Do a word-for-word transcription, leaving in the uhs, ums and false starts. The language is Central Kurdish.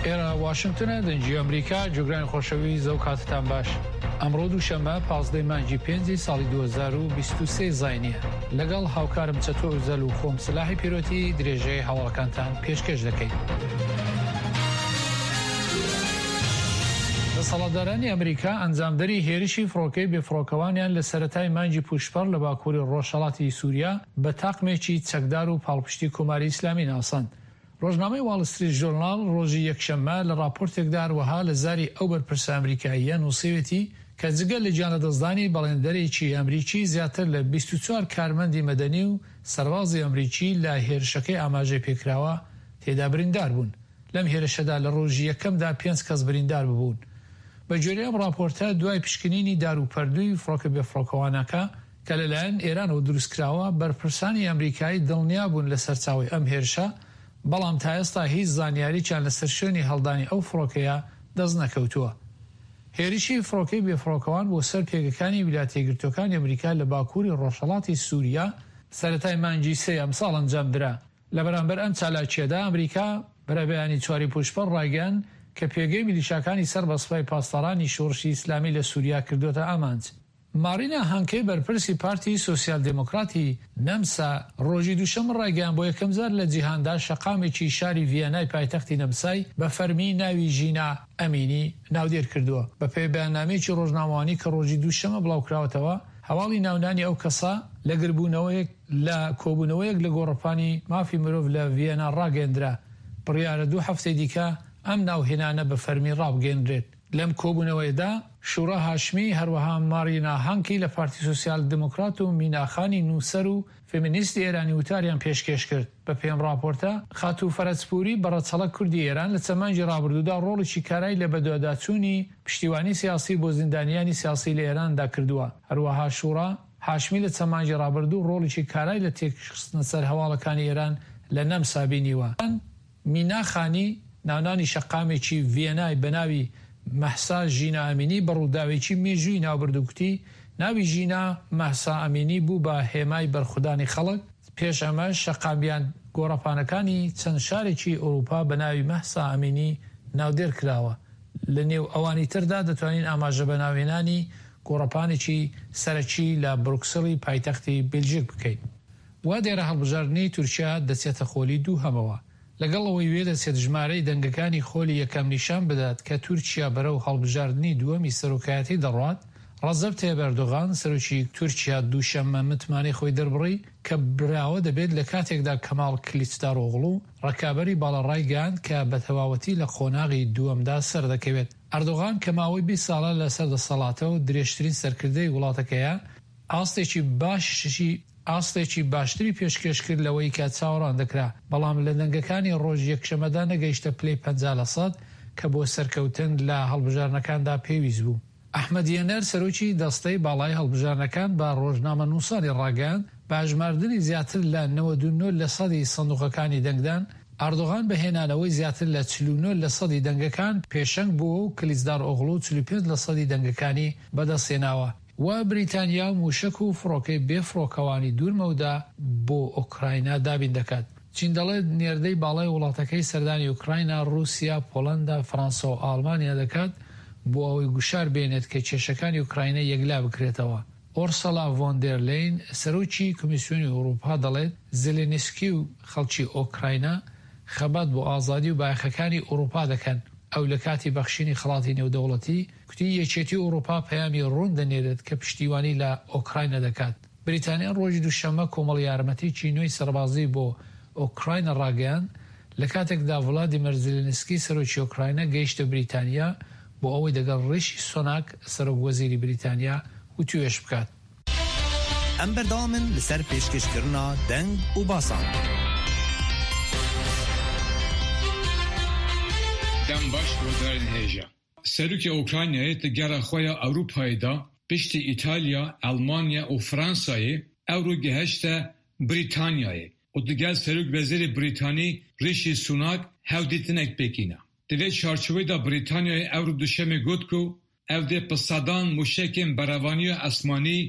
ئێرە واشنگتنە، دەنگی ئەمریکا. جوگرانی خۆشەویست، ئەو کاتتان باش. ئەمڕۆ دووشەممە پازدەی مانگی پێنجی ساڵی دوو هەزار و بیست و سێ زاینیە. لەگەڵ هاوکارم چەتۆ ئۆزەل و خۆم سلاحی پیرۆتی درێژەی هەواڵەکانتان پێشکەش دەکەین. دەسەڵاتدارانی ئەمریکا ئەنجامدەری هێرشی فڕۆکەی بێفڕۆکەوانیان لە سەرەتای مانگی پوشپەڕ لە باکووری ڕۆژهەڵاتی سووریا بە تاقمێکی چەکدار و پاڵپشتی کۆماری ئیسلامی ناساند. ڕۆژنامەی واڵ ستریت ژۆرناڵ ڕۆژی یەکشەممە لە ڕاپۆرتێکدا هەروەها لە زاری ئەو بەرپرسە ئەمریکاییە نووسیوێتی کە جگە لە گیانلەدەستدانی بەڵێندەرێکی ئەمریکی زیاتر لە بیست و چوار کارمەندی مەدەنی و سەربازی ئەمریکی لە هێرشەکەی ئاماژەی پێکراوە تێدا بریندار بوون. لەم هێرشەدا لە ڕۆژی یەکەمدا پێنج کەس بریندار ببوون. بە گوێرەی ئەم ڕاپۆرتە دوای پشکنینی داروپەردووی فڕۆکە بێفڕۆکەوانەکە کە لەلایەن ئێرانەوە دروستکراوە، بەرپرسانی ئەمریکایی دڵنیا بوون لە سەرچاوەی ئەم هێرشە، بەڵام تا ئێستا هیچ زانیارییان لەسەر شوێنی هەڵدانی ئەو فڕۆکەیە دەست نەکەوتووە. هێرشی فڕۆکەی بێفڕۆکەوان بۆ سەر پێگەکانی ویلایەتە یەکگرتووەکانی ئەمریکا لە باکووری ڕۆژهەڵاتی سووریا سەرەتای مانگی سێ ئەمساڵ ئەنجامدرا. لە بەرامبەر ئەم چالاکییەدا ئەمریکا بەرەبەیانی چواری پوشپەڕ ڕایگەیاند کە پێگەی میلیشاکانی سەر بە سوپای پاسدارانی شۆڕشی ئیسلامی لە سووریا کردووەتە ئامانج. مارینا هانکەی بەرپرسی پارتی سۆسیال دێمۆکراتی نەمسا ڕۆژی دووشەممە ڕایگەیاند بۆ یەکەمجار لە جیهاندا شەقامێکی شاری ڤیەنای پایتەختی نەمسای بە فەرمی ناوی ژینا ئەمینی ناودێر کردووە. بەپێی بەیاننامەیەکی ڕۆژنامەوانی کە ڕۆژی دووشەممە بڵاوکراوەتەوە، هەواڵی ناونانی ئەو کەسە لە گربوونەوەیەک لە کۆبوونەوەیەک لە گۆڕەپانی مافی مرۆڤ لە ڤیەنا ڕاگەیەندرا. بڕیارە دوو هەفتەی دیکە ئەم ناوهێنانە بە فەرمی ڕابگەیەنرێت. لەم کۆبوونەوەیەدا شورا هاشمی، هەروەها مارینا هانکی لە پارتی سۆسیال دێمۆکرات و مینا خانی نووسەر و فێمینیستی ئێرانی وتاریان پێشکێش کرد. بە پێی ئەم ڕاپۆرتە، خاتوو فەرەجپووری بە ڕەچەڵەک کوردی ئێران لە چەند مانگی ڕابردوودا ڕۆڵێکی کارای لە بەدواداچوونی پشتیوانی سیاسی بۆ زیندانیانی سیاسی لە ئێراندا کردووە. هەروەها شورا هاشمی لە چەند مانگی ڕابردوو ڕۆڵێکی کارای لە تێکخستنە سەر هەواڵەکانی ئێران لە نەمسا بینیوە. مینا خانی ناونانی شەقامێکی ڤیەنای بە ناوی مەهسا ژینا ئەمینی بە ڕووداوێکی مێژووی ناوبرد و گوتی ناوی ژینا مەهسا ئەمینی بوو بە هێمای بەرخودانی خەڵک. پێش ئەمە شەقامیان گۆڕەپانەکانی چەند شارێکی ئەوروپا بە ناوی مەهسا ئەمینی ناودێر کراوە. لە نێو ئەوانی تردا دەتوانین ئاماژە بە ناوهێنانی گۆڕەپانێکی سەرەکی لە بروکسلی پایتەختی بێلژیک بکەین. وا دیارە هەڵبژاردنی تورکیا دەچێتە خۆلی دووهەمەوە. لەگەڵ ئەوەی وێدەچێت ژمارەی دەنگەکانی خۆلی یەکەم نیشان بدات کە تورکیا بەرەو هەڵبژاردنی دووەمی سەرۆکایەتی دەڕوات، ڕەجەب تەیب ئەردۆغان سەرۆکی تورکیا دووشەممە متمانەی خۆی دەربڕی کە براوە دەبێت لە کاتێکدا کەماڵ کلیچدارئۆغڵو ڕکابەری باڵا ڕایگەیاند کە بە تەواوەتی لە قۆناغی دووەمدا سەردەکەوێت. ئەردۆغان کە ماوەی بیست ساڵە لەسەر دەسەڵاتە و درێژترین سەرکردەی وڵاتەکەیە، ئاستێکی باشی ئاستێکی باشتری پێشکێش کرد لەوەی کە چاوەڕوان دەکرا، بەڵام لە دەنگەکانی ڕۆژی یەکشەممەدا نەگەیشتە پلەی پەنجا لە سەد کە بۆ سەرکەوتن لە هەڵبژاردنەکاندا پێویست بوو. ئەحمەد یەنەر سەرۆکی دەستەی باڵای هەڵبژاردنەکان بە ڕۆژنامەنووسانی ڕاگەیاند بە ئەژماردنی زیاتر لە نەوەد و نۆ لە سەدی سندوقەکانی دەنگدان، ئەردۆغان بە هێنانەوەی زیاتر لە چل و نۆ لە سەدی دەنگەکان پێشەنگ بووە و کلیچدارئۆغڵو چل و پێنج لە سەدی دەنگەکانی بەدەستهێناوە. و بریتانیا مووشەک و فڕۆکەی بێفڕۆکەوانی دوورمەودا بۆ ئۆکراینا دابین دەکات. چین دەڵێت نێردەی باڵای وڵاتەکەی سەردانی ئۆکراینا، ڕووسیا، پۆڵەندا، فەرەنسا و ئاڵمانیا دەکات بۆ ئەوەی گوشار بێنێت کە کێشەکانی ئۆکراینا یەکلا بکرێتەوە. ئۆرسەلا ڤۆن دێر لێین سەرۆکی کۆمیسیۆنی ئەوروپا دەڵێت زێلێنسکی و خەڵکی ئۆکراینا خەبات بۆ ئازادی و بایەخەکانی ئەوروپا دەکەن. ئەو لە کاتی بەخشینی خەڵاتی نێودەوڵەتی کوتی یەکێتی ئەوروپا پەیامی ڕوون دەنێرێت کە پشتیوانی لە ئۆکراینا دەکات. بریتانیا ڕۆژی دووشەممە کۆمەڵ یارمەتیی نوێی سەربازی بۆ ئۆکراینا ڕاگەیاند لە کاتێکدا ڤلادیمیر زێلێنسکی سەرۆکی ئۆکراینا گەیشتە بریتانیا بۆ ئەوەی دەگەڵ ڕیشی سۆناک سەرۆک وەزیری بریتانیا وتوێژ بکات. ئەم بەردەوامن لەسەر پێشکەشکردنا دەنگ و باسان. دەم باش گۆدارên hêja. Serokê Ukraynayê di gera xwe ya Ewropayê de piştî Îtalya, Elmanya û Fransayê ewro gihişte Brîtanyayê û digel Serokwezîrê Brîtanî Rishi Sunak hevdîtinek pêk îna. Di vê çarçoveyê de Brîtanyayê ewro duşemê got ku ew dê bi sedan mûşekên berevaniya esmanî